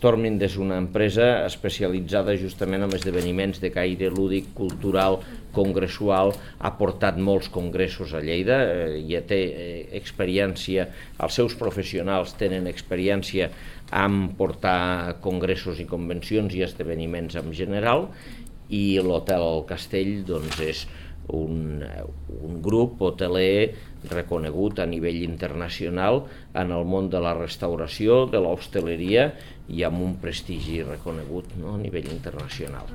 Stormwind és una empresa especialitzada justament en esdeveniments de caire lúdic, cultural, congressual, ha portat molts congressos a Lleida, ja té experiència, els seus professionals tenen experiència en portar congressos i convencions i esdeveniments en general, i l'Hotel El Castell doncs, és un grup hoteler reconegut a nivell internacional en el món de la restauració, de l'hostaleria i amb un prestigi reconegut, no?, a nivell internacional.